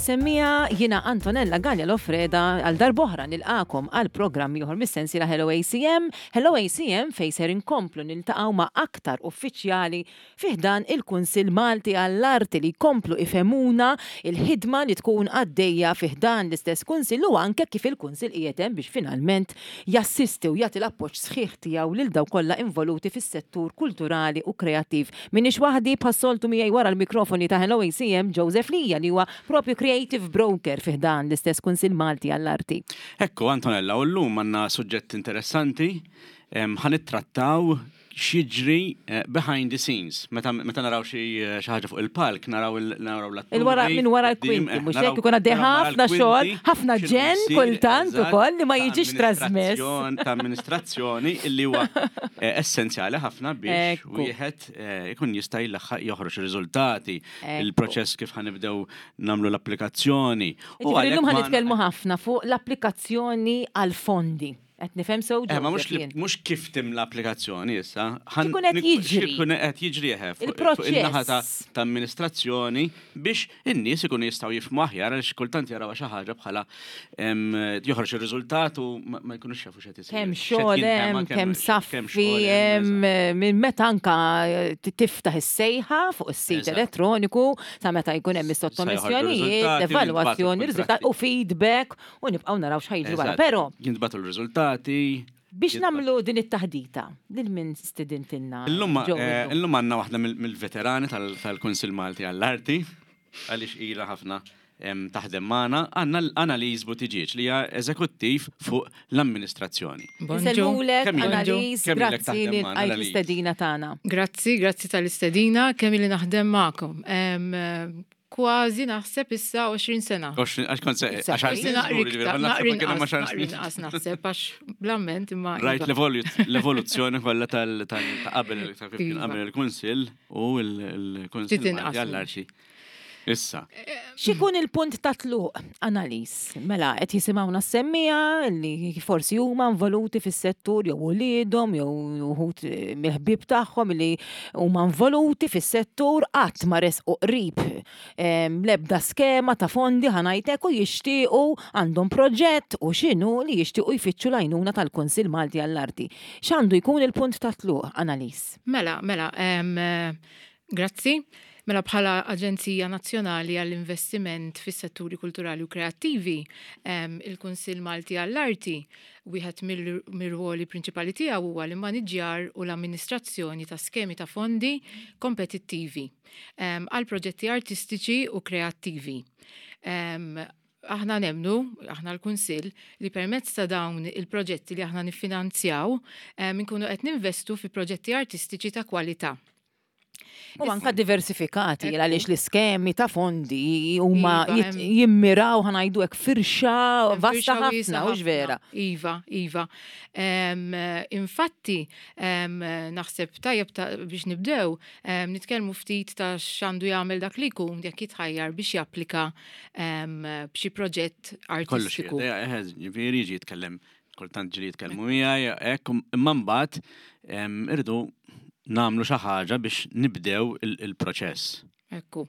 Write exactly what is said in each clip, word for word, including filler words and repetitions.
Is-semmiegħa, jiena Antonella Gallia Lofreda għal darb'oħra nilqagħkom għal programm ieħor mis-sensiela Hello A C M. Hello A C M fejn ser inkomplu niltaqgħu ma' aktar uffiċjali fi ħdan il-Kunsill Malti għall-Arti li jkomplu ifehmuna il-ħidma li tkun għaddejja fi ħdan l-istess Kunsill u anke kif il-Kunsill qiegħed hemm biex finalment jassisti u jagħti l-appoġġ sħiħ tiegħu lil dawk kollha involuti fis-settur kulturali u kreattiv. Minix waħdi, bħas-soltu miegħi wara l-mikrofoni ta' Hello A C M Joseph Lija, li huwa propju creative broker fi ħdan l-istess Kunsill Malti għall-Arti. Ekku, Antonella, u llum għandna suġġett interessanti, ħa nittrattaw x'jiġri eh, behind the scenes. Meta meta naraw xi xi ħaġa fuq il-palk, naraw il- naraw l-atturi. Il-wara minn wara l-kwinti, eh, mhux naraw- hekk? Ikun għaddej naraw wara ħafna l-kwinti, xogħol, ħafna x'inhu ġen jsir, kultant eżatt, ukoll li ma ta' jiġix trasmess. amministrazzjon- Ta' amministrazzjoni illi huwa eh, essenzjali ħafna biex Ekku. wieħed eh, ikun jista' jilaħħaq joħroġ ir-riżultati, Ekku. il-proċess kif ħa nibdew nagħmlu l-applikazzjoni. U Ġifieri għalhekk llum ma- ħa nitkellmu ħafna fuq l-applikazzjoni għal fondi. Qed nifhem sew, Eh, ma mhux Joseph, li- jien? mhux kif timla applikazzjoni issa. Ħan- X'ikun qed nik- jiġri? X'ikun qed jiġri eħe fuq fuq Il-proċess. in-naħa ta' ta' amministrazzjoni biex in-nies ikunu jistgħu jifhmu aħjar, għaliex kultant jaraw xi ħaġa bħala em, joħroġ ir-riżultat u ma ma jkunux jafu x'qed isir. Kemm X'qed xogħol jinħema, hemm, kemm kemm saffi xogħol hemm, eżatt. minn meta anka eh, tiftaħ is-sejħa fuq is-sit Eżatt. elettroniku sa meta jkun hemm Sa joħorġu is-sottomissjonijiet, riżultati, l-evalwazzjoni, jintbagħtu riżultat u feedback u nibqgħu naraw x'ħa jiġri wara. Eżatt. Però Jintbagħtu l-riżultati. biex jintbagħtu- nagħmlu din it-taħdita, lil min stidintilna? Illum Joe, eh, illum? illum għandna waħda mill- mill-veterani tal- tal-Kunsill Malti għall-Arti, għaliex ilha ħafna em, taħdem magħna, għandna l-Annalise Buttigieg, li hija eżekuttiv fuq l-amministrazzjoni. Insellmulek, Kemm ilek- Annalise, kemm ilek grazzi taħdem li magħna, għajt Annalise? l-istedina tagħna. Grazzi, grazzi tal-istedina, kemm ili naħdem magħkom. Em, eh, Kważi naħseb issa għoxrin sena. għoxrin, għax kont se, Issa, għaxar Forsi snin naqri żgur, ġifieri, iktar, ma naħseb naqri kien hemm inqas, għaxar naqri snin. inqas naħseb, għax bl-amment imma. Rajt iva. l-evoluz- l-evoluzzjoni kollha tal tal- ta' qabel ta' kif kien Iva. qabel il-Kunsill u l-Kunsill Ftit inqas. Malti għall-Arti. Issa, X'ikun il-punt ta' tluq, Annalise? Mela, qed jisimgħuna s-semmiegħa li forsi huma involuti fis-settur jew uliedhom jew uħud eh, mill-ħbieb tagħhom li huma involuti fis-settur, qatt ma resqu qrib em, l-ebda skema ta' fondi, ħa ngħidlek, u jixtiequ, għandhom proġett u x'inhu li jixtiequ jfittxu l-għajnuna tal-Kunsill Malti għall-Arti. X'għandu jkun il-punt ta' tluq, Annalise? Mela, mela, em, eh, grazzi. Mela, bħala Aġenzija Nazzjonali għall-Investiment fis-Setturi Kulturali u Kreattivi, em, il-Kunsill Malti għall-Arti, wieħed mill-ruoli prinċipali tiegħu huwa l-immaniġġjar u l-amministrazzjoni ta' skemi ta' fondi kompetittivi em, għal proġetti artistiċi u kreattivi. Em, Aħna nemmnu, aħna l-Kunsill, li permezz ta' dawn il-proġetti li aħna niffinanzjaw, em, inkunu qed ninvestu fi proġetti artistiċi ta' kwalità. U anka diversifikati, għaliex l-iskemi ta' fondi huma Iva, jit- hemm- jimmiraw, ħa ngħidu hekk, firxa vasta Firxa ħafna, wiesgħa hux vera? Iva, iva. Em, infatti, em, naħseb tajjeb ta' biex nibdew, em, nitkellmu ftit ta' x'għandu jagħmel dak li jkun jekk jitħajjar biex japplika em, b'xi proġett kollox artistiku. qiegħed, ġifieri ġi jitkellem, kultant ġieli jitkellmu miegħi, hekk, imma mbagħad em, irridu nagħmlu xi ħaġa biex nibdew il- il-proċess. Ekku.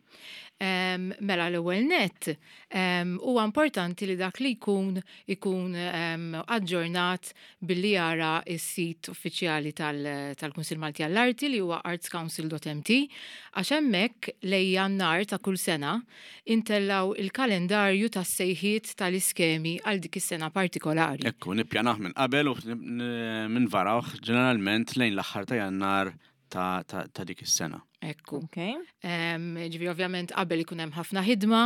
Em, mela l-ewwel net, em, huwa importanti li dak li jkun ikun em, aġġornat billi jara s-sit uffiċjali tal- tal-Kunsill Malti għall-Arti, li huwa artscouncil dot M T, għax hemmhekk lejn Jannar ta' kull sena intellaw il-kalendarju tas-sejħiet tal-iskemi għal dik is-sena partikolari. Ekku, nippjanah minn qabel u minn varawh ġeneralment lejn l-aħħar ta' Jannar ta' ta' ta' dik is-sena. Ekku. Ok. Um, ġifieri ovvjament qabel ikun hemm ħafna ħidma,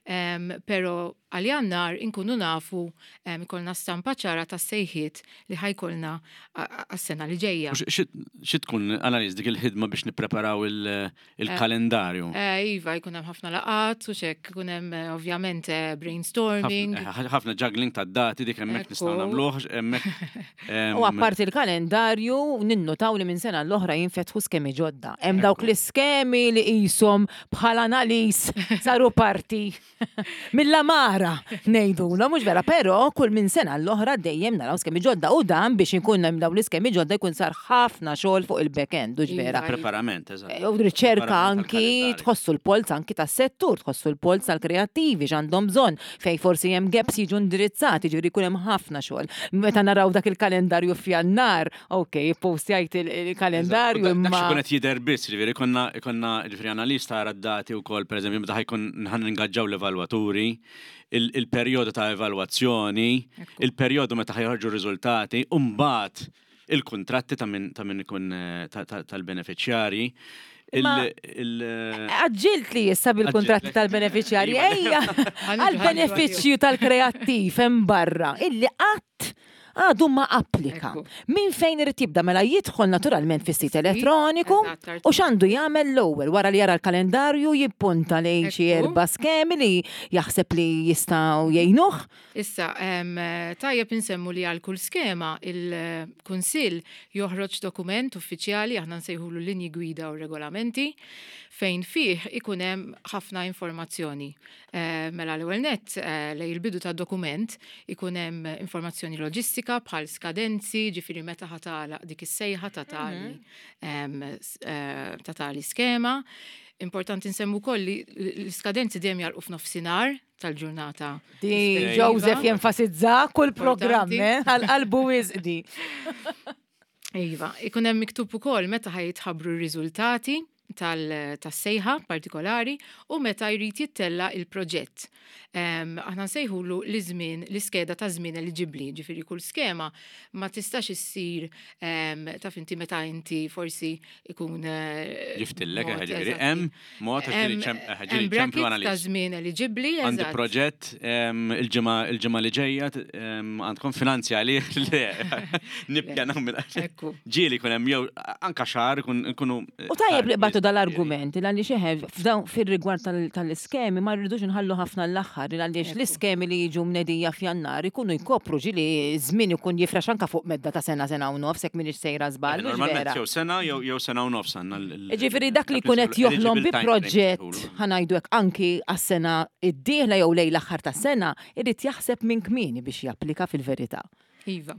um, pero għal Jannar inkunu nafu, um, ikollna stampa ċara ta' sejħiet li ħa jkollna għas-sena li ġejja. U xi- Xi tkun, Annalise, dik il-ħidma biex nippreparaw il- il-kalendarju? Eh, Iva, jkun hemm ħafna laqat u xek, ikun hemm eh, ovvjament eh, brainstorming. Ħafna ħafna juggling ta' dati, dik hemmhekk nistgħu Ekku. nagħmluh hemmhekk. U apparti il-kalendarju, ninnotaw li minn sena l-oħra jinfetħu skemi ġodda. Hemm dawk Ekku. l-iskemi li qishom bħala Annalise saru parti mill-amara ngħidulhom, mhux vera, però kull minn sena l-oħra dejjem naraw skemi ġodda u dan biex ikun hemm dawn l-iskemi ġodda jkun sar ħafna xogħol fuq il-back-end, hux vera. Iva. Preparament, eżatt. U riċerka Preparament anki tal-kalendarju. Tħossu l-polz anki tas-settur, tħossu l-polz tal-kreattivi x'għandhom bżonn, fej forsi hemm gaps jiġu indirizzati, ġifieri jkun hemm ħafna xogħol. Meta naraw dak il-kalendarju f'Jannar, ok, postjajt il-kalendarju Dak imma. xi qed jidher biss, ġifieri konna konna ġifieri analista tara d-dati wkoll, pereżempju, meta ħa jkun ħa ningaġġaw l-evalwaturi, il- il-perjodu ta' evalwazzjoni, Ekku. il-perjodu meta ħa joħorġu r-riżultati, u mbagħad il-kuntratti ta' min ta' min ikun eh, ta- ta- tal-beneficjarji. Il- Imma- il- Għaġġilt li issa bil-kontratti Għaġġilt. tal-beneficjarji, Iva. ejja, għal-benefiċċju tal-kreattiv hemm barra, illi qatt għadu ma applika. Ekku. Min fejn irid jibda? Mela jidħol naturalment fis-sit elettroniku Eżatt, u x'għandu jagħmel l-ewwel wara li jara l-kalendarju, jippunta lejn xi Ekku. erba' skemi li jaħseb li jistgħu jgħinuh? Issa, em, tajjeb insemmu li għal kull skema il-Kunsill joħroġ dokument uffiċjali, aħna nsejħulu linji gwida u regolamenti, fejn fih ikun hemm ħafna informazzjoni. Eh, Mela l-ewwel nett, eh, lejn il-bidu tad-dokument ikun hemm informazzjoni loġistika bħal skadenzi, ġifieri meta ħa tagħlaq dik is-sejħa ta' tali em, s- eh, ta' tali skema. Importanti nsemmu wkoll li l-iskadenzi dejjem jagħlqu f'nofsinhar tal-ġurnata. Di rispettiva. Joseph jenfasizza kull programm, Importanti. eh, għal-qalbu wisqdi. Iva, ikun hemm miktub ukoll meta ħa jitħabbru r-riżultati tal- tas-sejħa partikolari u meta jrid jittella il-proġett. Em, Aħna nsejħulu l-żmien, l-iskeda ta' żmien eliġibbli, ġifieri kull skema ma tistax issir em, taf inti meta inti forsi ikun eh, Ġiftillek, mod, ġifieri eżatti. hemm mod ġifieri Hemm- ċem- hemm ġifieri ċemplu brackets ta' Annalise. żmien eliġibbli, Għandi eżatt. proġett em, il-ġimgħa il-ġimgħa li ġejja t- em, għandkom finanzja li le nippjanaw minn Ekku. ġieli kun hemm jew anka xahar ikun ikunu U tajjeb li qbadtu dal-argument, għaliex eħe, f'dawn fil-rigward tal- tal-iskemi ma rridux nħallu ħafna l-aħħar, għaliex Ekku. l-iskemi li jiġu mnedija f'Jannar ikunu jkopru ġieli żmien ikun jifrax anka fuq medda ta' sena, sena u nofs, jekk minix sejra żball, mhux Normalment vera. jew sena jew jew sena u nofs għandna l- l- Ġifieri dak li jkun qed joħlom bi eligible time frame proġett nsejħulu. ħa ngħidu hekk anki għas-sena id-dieħla jew lejn l-aħħar tas-sena, irid jaħseb minn kmieni biex japplika fil-verità. Iva.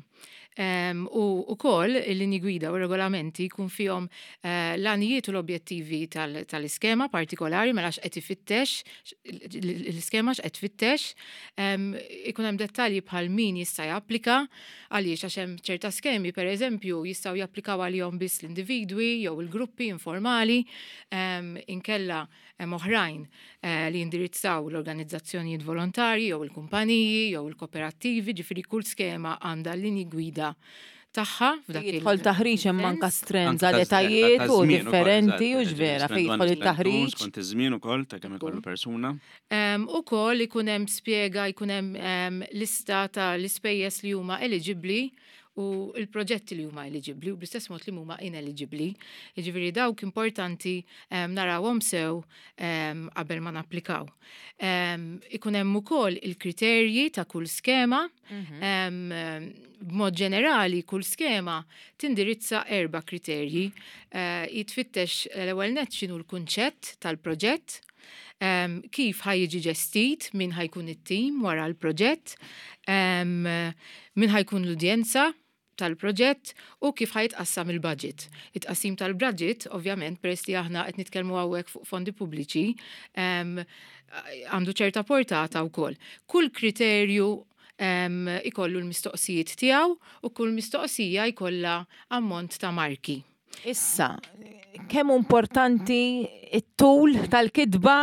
Um, u ukoll il-linji gwida u regolamenti jkun fihom uh, l-għanijiet u l-objettivi tal- tal-iskema partikolari, mela x'qed ifittex, l-iskema x'qed tfittex, um, ikun hemm dettalji bħal min jista' japplika, għaliex għax hemm ċerta skemi, per eżempju, jistgħu japplikaw għalihom biss l-individwi jew il-gruppi informali, um, inkella hemm oħrajn eh, li jindirizzaw l-organizzazzjonijiet volontarji jew il-kumpaniji jew il-kooperattivi, ġifieri kull skema għandha linji gwida tagħha f'dak il- Jidħol taħriġ hemm anka sens. strenza Anka ta' l-etajiet ta' u żmien ukoll, differenti eżatt, u ġvera fejn skont jidħol it-taħriġ. Skont iż-żmien ukoll ta' kemm ikollu persuna. Um, Ukoll ikun hemm spjega, jkun hemm um, lista ta' l-ispejjeż li huma eligibbli u l-proġetti li huma eligibbli u bl-istess mod li huma ineligibbli. Jiġifieri dawk importanti um, narawhom sew um, qabel ma napplikaw. Um, ikun hemm ukoll il-kriterji ta' kull skema. Um, b'mod ġenerali, kull skema tindirizza erba' kriterji. Uh, jitfittex l-ewwel nett x'inhu l-kunċett tal-proġett, um, kif ħa jiġi ġestit, min ħa jkun it-tim wara l-proġett, um, min ħa jkun l-udjenza tal-proġett u kif ħa jitqassam il-budget. It-tqassim tal-budget, ovvjament, peress li aħna qed nitkellmu hawnhekk fuq fondi pubbliċi, um, għandu ċerta portata wkoll. Kull kriterju um, ikollu l-mistoqsijiet tiegħu u kull mistoqsija jkollha ammont ta' marki. Issa, kemm importanti it-tul tal-kitba,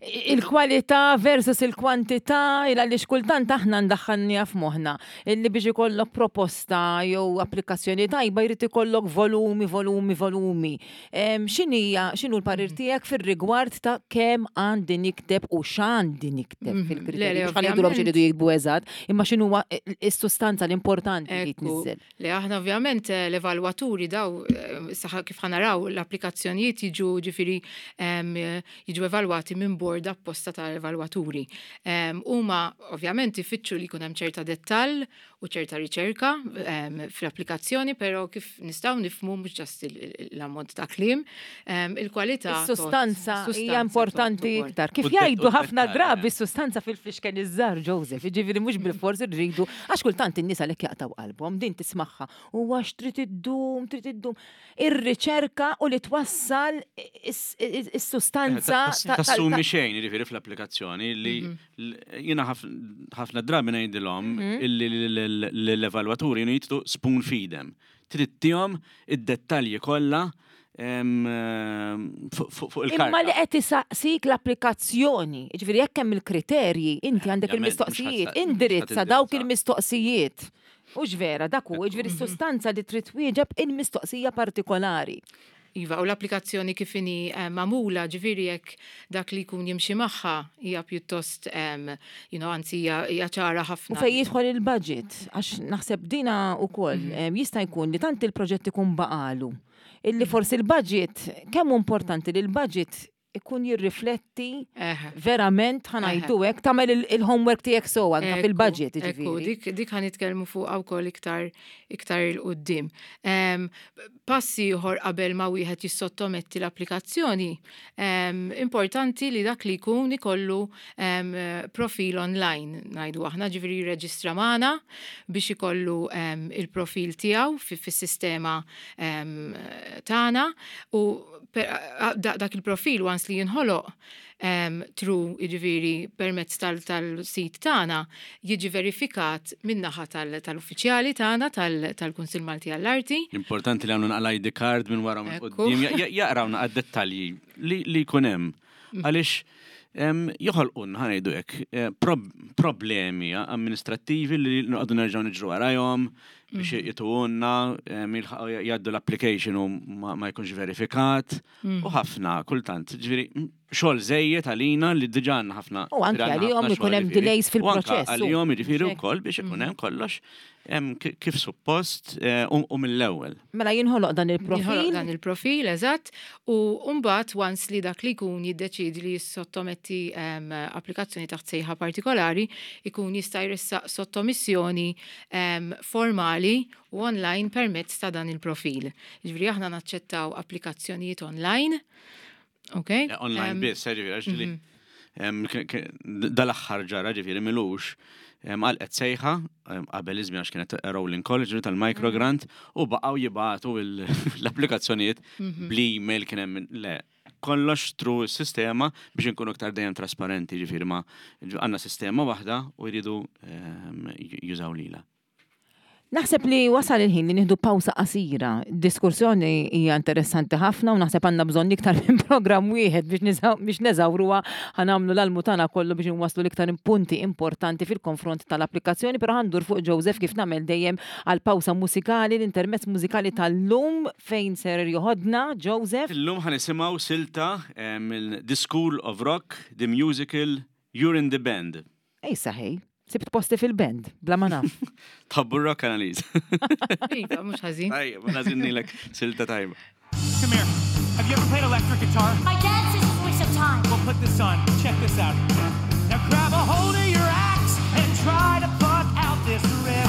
il-kwalità versus il-kwantità, il għaliex kultant aħna ndaħħalniha f'moħħna illi biex ikollok proposta jew applikazzjoni tajba jrid ikollok volumi, volumi, volumi. Em, X'inhija, x'inhu l-parir tiegħek fir-rigward ta' kemm għandi nikteb u x'għandi nikteb Mhm. fil-kriterji? Le, le, Mhux ħa ngħidulhom ovvjament. x'iridu jiktbu eżatt, imma x'inhuwa is-sustanza l-importanti li Ekku. tniżżel. Le aħna ovvjament eh, l-evalwaturi daw eh, saħ kif ħa naraw l-applikazzjonijiet jiġu ġifieri em, eh, jiġu evalwati minn board bord apposta tal-evalwaturi. Huma ovvjament ifittxu li jkun hemm ċerta dettall u ċerta riċerka fl-applikazzjoni, però kif nistgħu nifhmu mhux just l-ammont ta' kliem, il-kwalità. Is-sustanza hija importanti iktar. Kif jgħidu ħafna drabi s-sustanza fil-flixken iż-żgħar, Joseph, jiġifieri mhux bil-fors irridu, għax kultant in-nies għalhekk jaqtgħu qalbhom, din tismagħha u għax trid iddum, trid iddum. Ir-riċerka u li twassal is-sustanza. Tassumi xejn, jiġifieri fl-applikazzjoni li jiena ħafna drabi ngħidilhom illi l-evalwaturi jridu spoon feed them. Trid tihom id-dettalji kollha fuq il-karta. Imma li qed isaqsik l-applikazzjoni, jiġifieri jekk hemm il-kriterji, inti għandek il-mistoqsijiet, indirizza dawk il-mistoqsijiet. Hux vera, dak hu, jiġifieri s-sustanza li trid twieġeb il-mistoqsija partikolari. Iva, u l-applikazzjoni kif inhi magħmula, ġifieri jekk dak li jkun jimxi magħha hija pjuttost, you know, anzi hija ċara ħafna. U fejn jidħol il-budget, għax naħseb dina wkoll jista' jkun li tant il-proġett ikun baqalu. Illi forsi il-budget, kemm hu importanti li l-budget ikun jirrifletti verament ħa ngħidu hekk, tagħmel il-homework tiegħek so anke fil-budget, jiġifieri. Dik dik ħa nitkellmu fuq wkoll iktar iktar 'il quddiem. Passi ieħor qabel ma wieħed jissottometti l-applikazzjoni, importanti li dak li jkun ikollu profil online, ngħidu aħna, ġifieri jirreġistra magħna biex ikollu il-profil tiegħu fis-sistema tagħna u dak il-profil once li jinħoloq through, jiġifieri permezz tal-sit tagħna, jiġi verifikat min-naħa tal-uffiċjali tagħna tal-Kunsill Malti għall-Arti. Importanti li għamlu naqla I D card minn wara minn quddiem, jaqraw naqra dettalji li jkun hemm. Għaliex joħolqun, ħa ngħidu hekk, problemi amministrattivi li noqogħdu nerġgħu niġru warajhom biex jituhulna, jgħaddu l-application u ma jkunx verifikat u ħafna kultant. Ġifieri xogħol żejjed għalina li diġà għandna ħafna. U anke għalihom ikun hemm delays fil-proċess. Għalihom jiġifieri wkoll biex ikun hemm kollox kif suppost u mill-ewwel. Mela jinħoloq dan il-profil. Jinħoloq dan il-profil, eżatt, u mbagħad once li dak li jkun jiddeċiedi li jissottometti applikazzjoni taħt sejħa partikolari, ikun jista' jressaq sottomissjoni formali u online permezz ta' dan il-profil. Ġifieri aħna naċċettaw applikazzjonijiet online. Okay? Online biss, ġifieri, għax dal-aħħar ġara, ġifieri m'ilux, għalqet sejħa qabel iż-żmien għax kienet rolling college tal-microgrant u baqgħu jibgħatu l-applikazzjonijiet bl-email kien hemm le kollox through sistema biex inkunu iktar dejjem trasparenti, ġifieri ma għandna sistema waħda u jridu jużaw lilha. Naħseb li wasal il-ħin li nieħdu pawsa qasira. Diskussjoni hija interessanti ħafna u naħseb għandna bżonn iktar minn programm wieħed biex neżawruha, ħa nagħmlu l-almu tagħna kollu biex nwasslu l-iktar punti importanti fil-konfront tal-applikazzjoni, però ħa ndur fuq Joseph kif nagħmel dejjem għal pawsa musikali, l-intermezz musikali tal-lum fejn ser joħodna, Joseph. Illum ħa nisimgħu silta mill The School of Rock, the musical You're in the Band. Ej saħej. Sibt posti fil-band, bla ma naf. Tħobbu rock analiz. Iva, mhux ħażin. Tajjeb, nażinnilek silta tajba. Come here. Have you ever played electric guitar? My dad says it's a waste of time. Well, put this on. Check this out. Now grab a hold of your axe and try to pluck out this riff.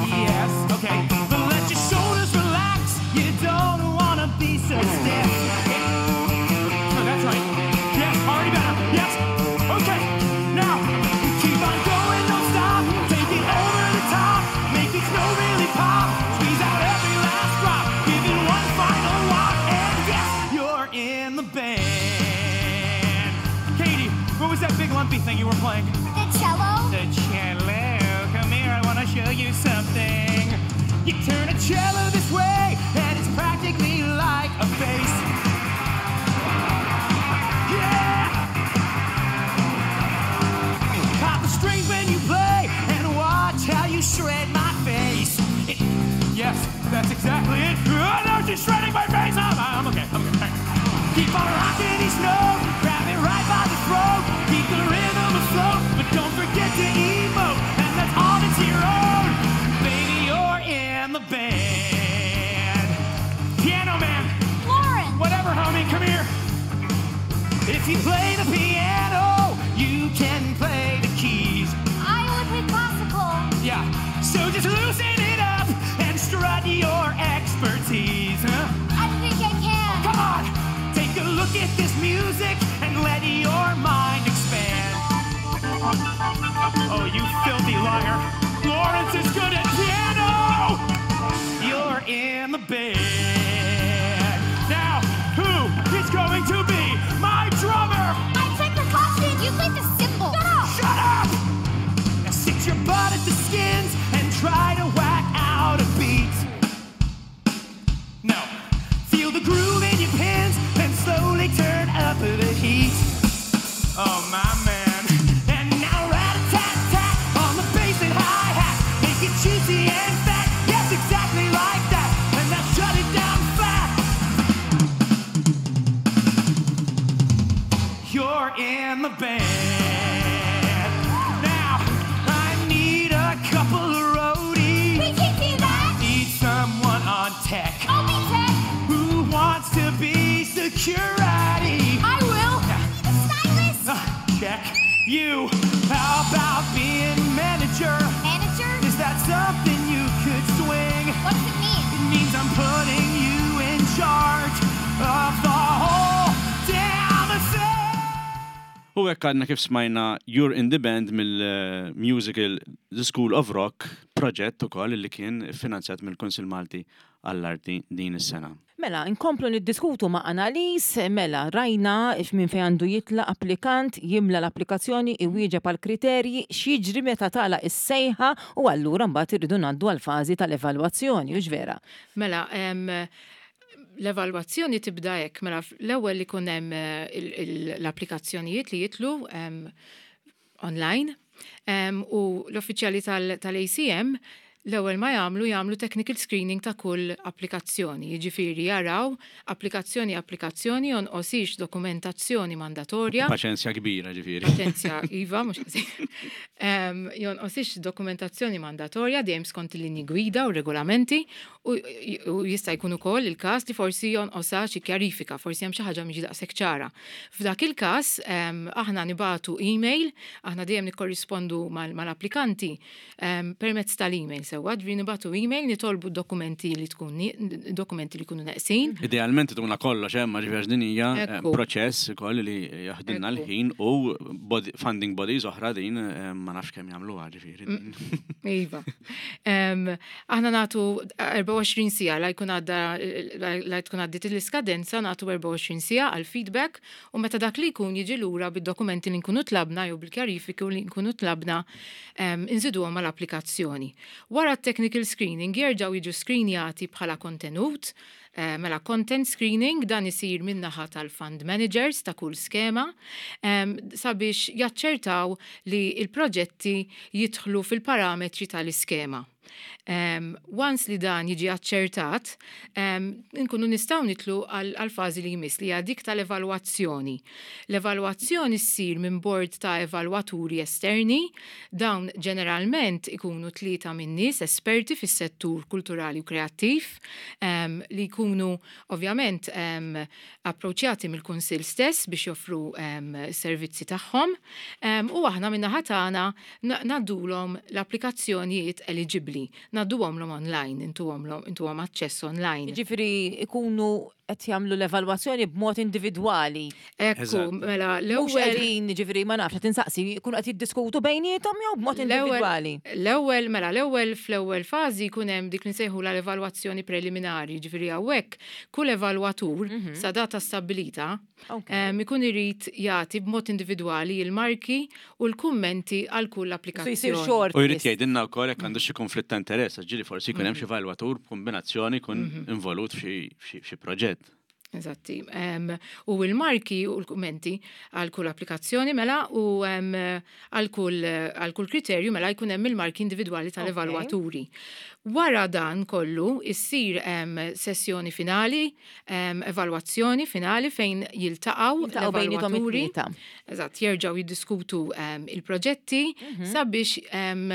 Yes, okay. But let your shoulders relax. You don't wanna be so stiff. No, that's right. Yes, already better. Yes. Okay. Now, keep on going, don't stop. Take it over the top. Make each note really pop. Squeeze out every last drop. Give it one final walk. And yes, you're in the band. Katie, what was that big lumpy thing you were playing? The cello. The cello. Come here, I want to show you something. You turn a cello this way, and it's practically like a face. Yeah! Pop the strings when you play, and watch how you shred my face. It, yes, that's exactly it. Oh, no, she's shredding my face. I'm, I'm okay, I'm okay. Keep on rocking each note, grab it right by the throat. Keep the rhythm afloat, but don't forget to emote. And that's all that's your own. Baby, you're in the band. Piano man. Lawrence. If you play the piano, you can play the keys. I only play classical. Yeah, so just loosen it up and strut your expertise. Huh? I don't think I can. Come on, take a look at this music and let your mind expand. Oh, you filthy liar. Lawrence is good at piano. You're in the band. Now, who is going to be my drummer? I play percussion. You play the cymbal. Shut up. Shut up! Now sit your butt at the skins and try to whack out a beat. No. Feel the groove in your pins, then slowly turn up the heat. Oh, my man. And now rat-a-tat-tat on the bass and hi-hat. Make it juicy and fat. Yes, exactly like that. And now shut it down flat. You're in the band. Now, I need a couple of roadies. We can't do that. Need someone on tech I'll be tech. who wants to be security. I will. Be the stylist. Uh, check you. How about being manager? Manager? Is that something you could swing? What does it mean? It means I'm putting you in charge of the whole damn thing. U hekk għadna kif smajna You're in the Band mill-musical The School of Rock, proġett ukoll li kien finanzjat mill-Kunsill Malti għall-Arti din is-sena. Mela, inkomplu niddiskutu ma' Annalise, mela, rajna minn fejn għandu jitla applikant, jimla l-applikazzjoni, iwieġeb għal kriterji, x'jiġri meta tagħlaq is-sejħa u allura mbagħad irridu ngħaddu għal fażi tal-evalwazzjoni, hux vera? Mela, em, l-evalwazzjoni tibda hekk, mela l-ewwel li jkun hemm eh, il- il- l-applikazzjonijiet li jitlu em, online em, u l-uffiċjali tal-A C M l-ewwel ma jagħmlu jagħmlu technical screening ta' kull applikazzjoni. Jiġifieri jaraw applikazzjoni applikazzjoni jonqosix dokumentazzjoni mandatorja. Paċenzja kbira, ġifieri. Paċenzja, iva, mhux ħażin. Em, Jonqosix dokumentazzjoni mandatorja dejjem skont il-linji gwida u regolamenti u u jista' jkun ukoll il-każ li forsi jonqosha xi kjarifika, forsi hemm xi ħaġa mhix daqshekk ċara. F'dak il-każ em, aħna nibagħtu email, aħna dejjem nikkorrispondu mal- mal-applikanti em, permezz tal-email sewwa, ġifieri nibagħtu email nitolbu dokumenti li tkun ni- dokumenti li jkunu neqsin. Idealment tuna kollox hemm, ġifieri din hija eh, Ekku. proċess ukoll li jaħdilna Ekku. l-ħin u body, funding bodies oħra din eh, ma nafx kemm jagħmluha, ġifieri. Mm. Iva. Em, Aħna nagħtu erbgħa u għoxrin siegħa la jkun għadda la tkun għaddit l-iskadenza, nagħtu erbgħa u għoxrin siegħa għal feedback u meta dak li jkun jiġi lura bid-dokumenti li nkunu tlabna jew bil-kjarifiki li nkunu tlabna, em, inżiduhom mal-applikazzjoni. Wara t-technical screening jerġgħu jiġu screenjati bħala kontenut, eh, mela content screening dan isir min-naħa tal-fund managers ta' kull skema em, sabiex jaċċertaw li il-proġetti jidħlu fil-parametri tal-iskema. Um, once li dan jiġi aċċertat, um, nkunu nistgħu nidħlu għal fażi li jmiss, li hija dik tal-evalwazzjoni. L-evalwazzjoni ssir minn bord ta' evalwaturi esterni, dawn ġeneralment ikunu tlieta minn nies esperti fis-settur kulturali u kreattiv, um, li jkunu ovvjament um, approċċjati mill-Kunsill stess biex joffru um, servizzi tagħhom, um, u aħna min-naħa tagħna ngħaddulhom l-applikazzjonijiet eligibbli, ngħadduhomlhom online, intuhom aċċess online. Ġifieri ikunu qed jagħmlu l-evalwazzjoni b'mod individwali. Ekku, mela l-ewwel qegħdin, ġifieri ma nafx, qed insaqsi, jkunu qed jiddiskutu bejniethom jew b'mod individwali. L-ewwel, mela l-ewwel fl-ewwel fażi jkun hemm dik li nsejħu l-evalwazzjoni preliminari, ġifieri hawnhekk kull evalwatur mhm. sa data stabbilita ikun irid jagħti b'mod individwali il-marki u l-kummenti għal kull applikazzjoni. U jrid jgħidilna wkoll jekk għandu xi konflitt ta' interess, ġieli forsi jkun hemm xi evalwatur b'kombinazzjoni jkun mhm. involut f'xi proġett. Eżatti. Um, u il-marki u l-kummenti għal kull applikazzjoni mela u għal kull għal kull kriterju mela jkun hemm il-marki individwali tal-evalwaturi. Wara dan kollu issir um, sessjoni finali, um, evalwazzjoni finali fejn jiltaqgħu l-evalwaturi. Eżatt, jerġgħu jiddiskutu um, il-proġetti mm -hmm. sabiex um,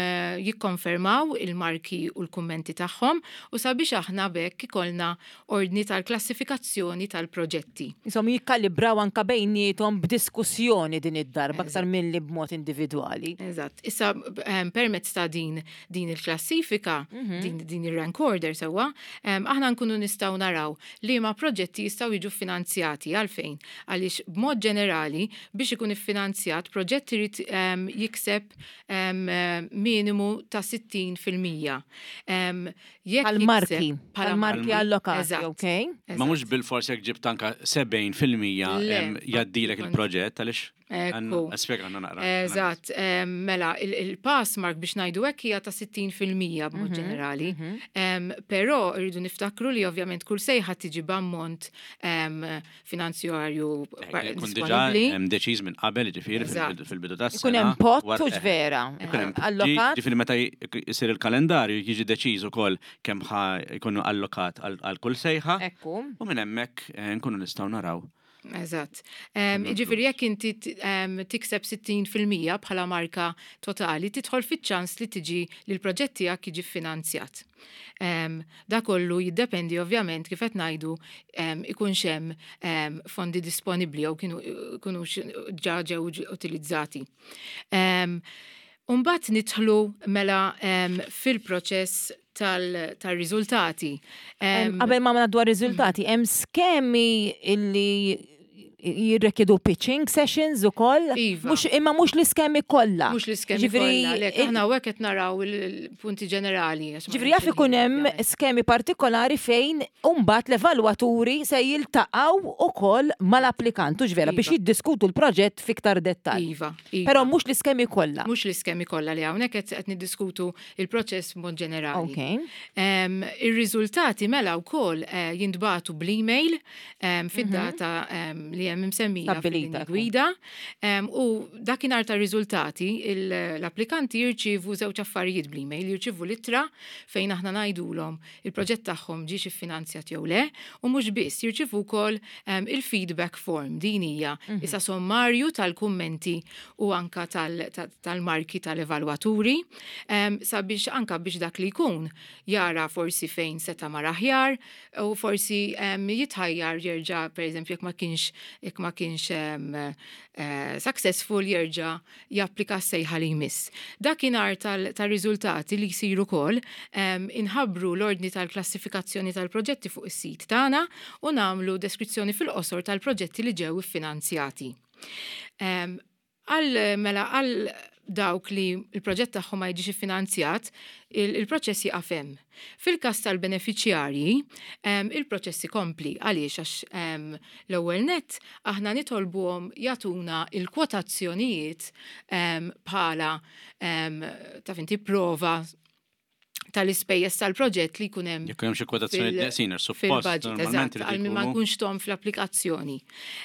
jikkonfermaw il-marki u l-kummenti tagħhom u sabiex aħna b'hekk ikollna ordni tal-klassifikazzjoni. il-klassifikazzjoni tal-proġetti. Insomma, jikkalibraw anka bejniethom b'diskussjoni din id-darba aktar milli b'mod individwali. Eżatt. Issa em, permezz ta' din din il-klassifika, din, din il-rank order sewwa, em, aħna nkunu nistgħu naraw li ma proġetti jistgħu jiġu finanzjati. Għalfejn? Għaliex b'mod ġenerali, biex ikun iffinanzjat, proġett irid em, jikseb em, minimu ta' sittin fil-mija. Em, jekk Għal-marki, jikseb- bħala għal-marki allokati, Eżatt. ok? Ma mhux bil-fors jekk ġibt anka sebgħin fil-mija Le, em, jgħaddilek il-proġett, għaliex Ekku. Spjega għandna naqra. Eżatt, em, mela, il- il-pass mark biex ngħidu hekk hija ta' sittin fil-mija b'mod ġenerali. Em, Però rridu niftakru li ovvjament kull sejħa tiġi b'ammont em, finanzjarju par- Kun diġà disponibbli. hemm deċiż minn qabel, ġifieri Eżatt. fil-bidu fil-bidu tas Ikun hemm pot hux vera, Ikun hemm allokat. Ġifieri meta jsir il-kalendarju jiġi deċiż ukoll kemm ħa jkunu allokat għal għal kull sejħa Ekku. U minn hemmhekk eh, nkunu nistgħu naraw. Eżatt. Um, Ġifieri jekk inti t- em, tikseb sittin fil-mija bħala marka totali, tidħol fiċ-ċans li tiġi li l-proġett tiegħek jiġi finanzjat. Um, da kollu jiddependi ovvjament, kif qed ngħidu, um, ikunx hemm um, fondi disponibbli jew kienu kienux ġa ġew utilizzati. Um, Umbat nidħlu mela um, fil-proċess tal-riżultati. Em, Qabel ma ngħaddu għar-riżultati, hemm skemi illi jirrikjedu pitching sessions ukoll? Iva. Mhux, imma mhux l-iskemi kollha. Mhux l-iskemi Ġifieri, kollha, lek, il- aħna hawnhekk qed naraw il-punti ġenerali, għax ma Ġifieri jaf nafx ikun il-ħin, hemm ovvjament. skemi partikolari fejn mbagħad l-evalwaturi se jiltaqgħu ukoll mal-applikant, hux vera, Iva. biex jiddiskutu l-proġett fiktar dettall. Iva, iva. Però mhux l-iskemi kollha. Mhux l-iskemi kollha, li hawnhekk qed qed niddiskutu il-proċess b'mod ġenerali. Ok. Em, Ir-riżultati mela wkoll eh, jintbagħtu bl-email em, fid-data em, li hemm imsemmija Stabbilita, fil-linji gwida em, u dakinhar tar-riżultati il- l-applikanti jirċievu żewġ affarijiet bl-email, jirċievu littra fejn aħna ngħidulhom il-proġett tagħhom ġiex iffinanzjat jew le, u mhux biss, jirċievu wkoll em, il-feedback form. Din hija issa sommarju tal-kummenti u anka tal- tal- tal-marki tal-evalwaturi em, sabiex anka biex dak li jkun jara forsi fejn seta' mar aħjar u forsi em, jitħajjar jerġa', per eżempju, jekk ma kienx jekk ma kienx em, eh, successful, jerġa' japplika s-sejħa li jmiss. Dakinhar tal-riżultati li jsiru wkoll em, inħabbru l-ordni tal-klassifikazzjoni tal-proġetti fuq is-sit tagħna u nagħmlu deskrizzjoni fil-qosor tal-proġetti li ġew iffinanzjati. Em, Għal mela għal dawk li il-proġett tagħhom ma jiġix iffinanzjat, il- il-proċess jieqaf hemm. Fil-każ tal-beneficjarji, em, il-proċess ikompli. Għaliex? Għax em, l-ewwel net aħna nitolbuhom jagħtuna il-kwotazzjonijiet em, bħala em, taf inti prova tal-ispejjeż tal-proġett li jkun hemm Jekk hemm xi kwotazzjoni fil- neqsin, suppost fil-budget, normalment eżatt, irid għal min ma ikunu- nkunx tom fl-applikazzjoni.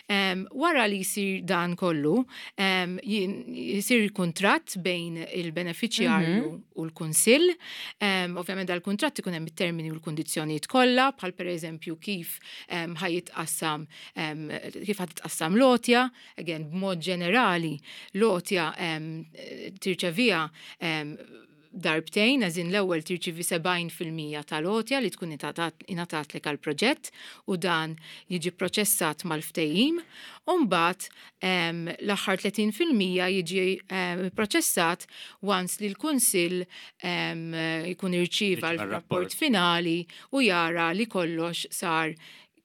Um, wara li jisir dan kollu, um, jisir kuntratt bejn il-beneficjarju u l-kunsill. Um, ovvjament dal-kuntratt ikun hemm it-termini u l-kundizzjonijiet kollha, bħal per eżempju kif um, ħa jitqassam um, kif ħa titqassam l-għotja. Again, b'mod ġenerali, l-għotja um, tirċevija um, darbtejn, għażin l-ewwel tirċivi sebgħin fil-mija tal-għotja li tkun ingħatat lek għal-proġett u dan jiġi proċessat mal-ftehim, u mbagħad em, l-aħħar tletin fil-mija jiġi em, proċessat once li l-Kunsill em, jkun irċieva Irċieva l-rapport r-rapport. finali u jara li kollox sar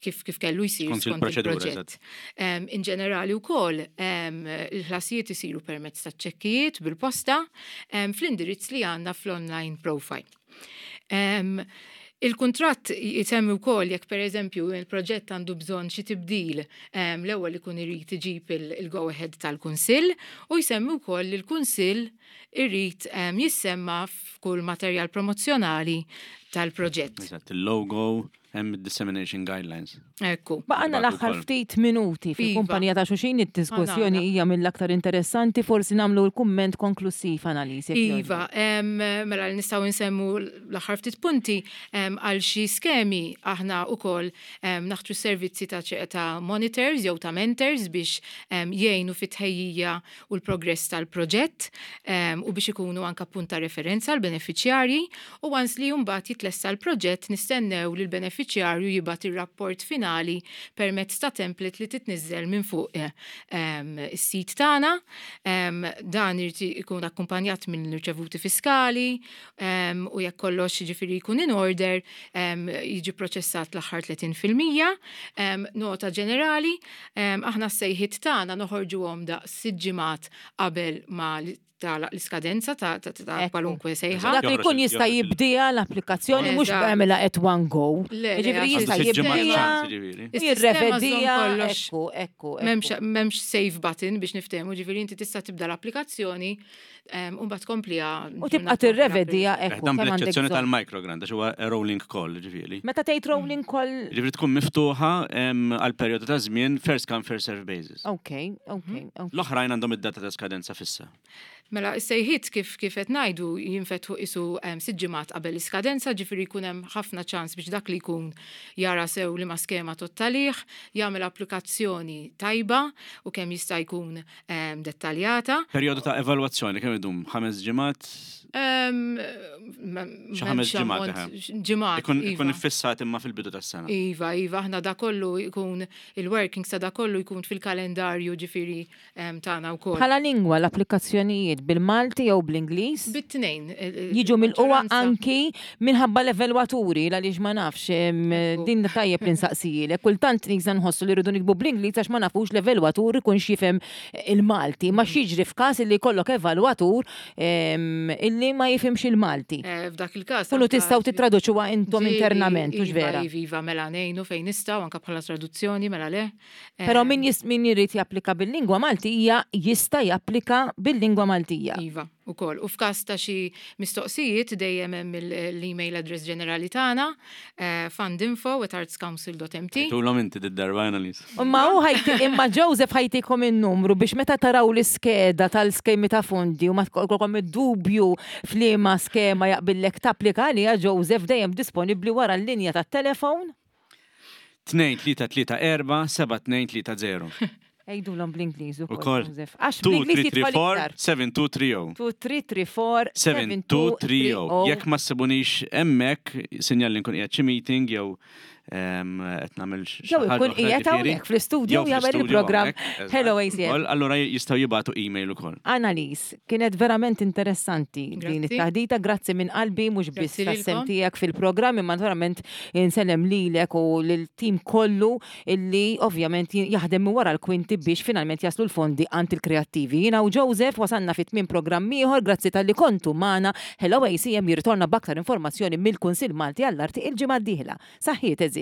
kif, kif kellu jsir Skont skont il-proċedura, il-proġett. Um, in ġenerali wkoll um, il-ħlasijiet isiru permezz ta' ċekkijiet bil-posta um, fl-indirizz li għandna fl-online profile. Um, Il-kuntratt jisemmi wkoll jekk per eżempju il-proġett għandu bżonn xi tibdil, um, l-ewwel ikun irid iġib il-go ahead tal-Kunsill u jsemmi wkoll li l-Kunsill irid um, jissemma f'kull materjal promozzjonali tal-proġett. Eżatt, il-logo, hemm dissemination guidelines. Ekku. Baqgħalna Nibagħtu l-aħħar wkoll. ftit minuti fil-kumpanija ta' xulxin, id-diskussjoni Għana. hija mill-aktar interessanti, forsi nagħmlu l-kumment konklusiv, Annalise, jekk jogħġbok. Iva, em, mela li nistgħu nsemmu l-aħħar ftit punti em, għal xi skemi aħna wkoll em, naħtru servizzi ta', ċe- ta' monitors jew ta' mentors biex em, jgħinu fit-tħejjija u l-progress tal-proġett em, u biex ikunu anka punt ta' referenza l-beneficjarji u once li mbagħad jitlesta l-proġett nistennew li l-beneficjarju jibgħat ir-rapport finali permezz ta' template li titniżżel minn fuq eh, em, is-sit tagħna. Em, Dan irid ikun akkumpanjat minn irċevuti fiskali em, u jekk kollox ġifieri jkun in order em, jiġi proċessat l-aħħar tletin fil-mija. Em, Nota ġenerali, em, aħna s-sejħiet tagħna noħorġuhom daqs sitt ġimgħat qabel ma li- tagħlaq l-iskadenza ta' ta' ta' Ekku. kwalunkwe sejħa. Dak li jkun Joħroġ jista' il- jibdija l-applikazzjoni, mhux Eżatt. b'għamilha at one go. Le, le, Ġifieri għax jista' Għandu sitt ġimgħat jibdija, ċans, ġifieri. Is-sistema żżomm jirrevedija, kollox. ekku, ekku, M'hemmx ekku. M'hemmx save button biex niftehmu, ġifieri inti tista' tibda l-applikazzjoni em, u mbagħad tkompliha. U tibqa' tirrevedija, ekku, Dan kemm għandek bl-eċċezzjoni bżonn. tal-microgrant, għax huwa rolling call, ġifieri. Meta tgħid rolling call, Ġifieri tkun miftuħa em, għal perjodu ta' żmien first come, first serve basis. Ok, ok, ok. L-oħrajn għandhom id-data ta' skadenza fissa. Mela, is-sejħiet kif kif qed ngħidu jinfetħu qisu em, sitt ġimgħat qabel l-iskadenza, ġifieri jkun hemm ħafna ċans biex dak li jkun jara sew li ma skema tottalih, jagħmel applikazzjoni tajba u kemm jista' jkun em, dettaljata. Perjodu ta' evalwazzjoni kemm idum? Ħames ġimgħat? Em, Xi ħames ġimgħat, eħe. Ġimgħat. Ikun iva. ikun iffissat imma fil-bidu tas-sena. Iva, iva, aħna da kollu jkun il-workings ta' da kollu jkun fil-kalendarju ġifieri em, tagħna wkoll. Bħala lingwa, l-applikazzjonijiet bil-Malti jew bl-Ingliż? Bit-tnejn. Jiġu mill-qwa anki minħabba l-evalwaturi, għaliex ma nafx, em, Ekku. din tajjeb li nsaqsijilek. Kultant nisa nħossu li rridu nikbu bl-Ingliż għax ma nafux l-evalwatur ikun xifhem il-Malti. Ma x'jiġri f'każ illi jkollok evalwatur em, illi ma jifhimx il-Malti? Eh, F'dak il-każ. Kunu anka tistgħu titraduċuha intom ġieli, internament, hux iva, vera? Iva, iva, mela ngħinu fejn nistgħu anka bħala traduzzjoni, mela le. Però Em, min jis- min jrid japplika bil-lingwa Maltija jista' japplika bil-lingwa Maltija. Iva, ukoll. U f'każ ta' xi mistoqsijiet dejjem hemm il- l-email address ġenerali tagħna, eh, fundinfo at artscouncil dot M T. Tulhom inti d-darba, Annalise. Imma hu ħajti, imma Joseph ħa jtikom in-numru biex meta taraw l-iskeda tal-skemi ta' fondi u ma tkollkom id-dubju f'liema skema jaqbillek tapplika għaliha, Joseph dejjem disponibbli wara l-linja tat-telefon. tnejn tlieta tlieta erba' seba' tnejn tlieta żero. Għidulhom bl-Ingliż ukoll, Ukoll. Joseph. Għax tnejn bl-Ingliż tlieta tlieta jidħol erba' iktar. seba' tnejn tlieta żero. tnejn tlieta tlieta erba' seba' tnejn tlieta żero. Jekk ma ssibunix hemmhekk, sinjal li nkun qiegħed xi meeting jew em, qed nagħmel xi Jew ħaġa ikun oħra, qiegħed ġifieri. hawnhekk fl-istudio Jew jagħmel fl-istudio il-programm hawnhekk, eżatt. Hello A C M. Ukoll, allura jistgħu jibagħtu email ukoll. Annalise, kienet verament interessanti din Grazzi. it-taħdita, grazzi minn qalbi, mhux biss Grazzi tas-sem lilkom. tiegħek fil-programm, imma verament insellem lilek u lil-tim kollu illi ovvjament jaħdem minn wara l-kwinti biex finalment jaslu l-fondi għand il-kreattivi. Jiena u Joseph wasanna fit tmiem programm ieħor, grazzi talli kontu magħna. Hello A C M jirritorna b'aktar informazzjoni mill-Kunsill Malti għall-Arti il-ġimgħa d-dieħla. Saħħiet, għeżież.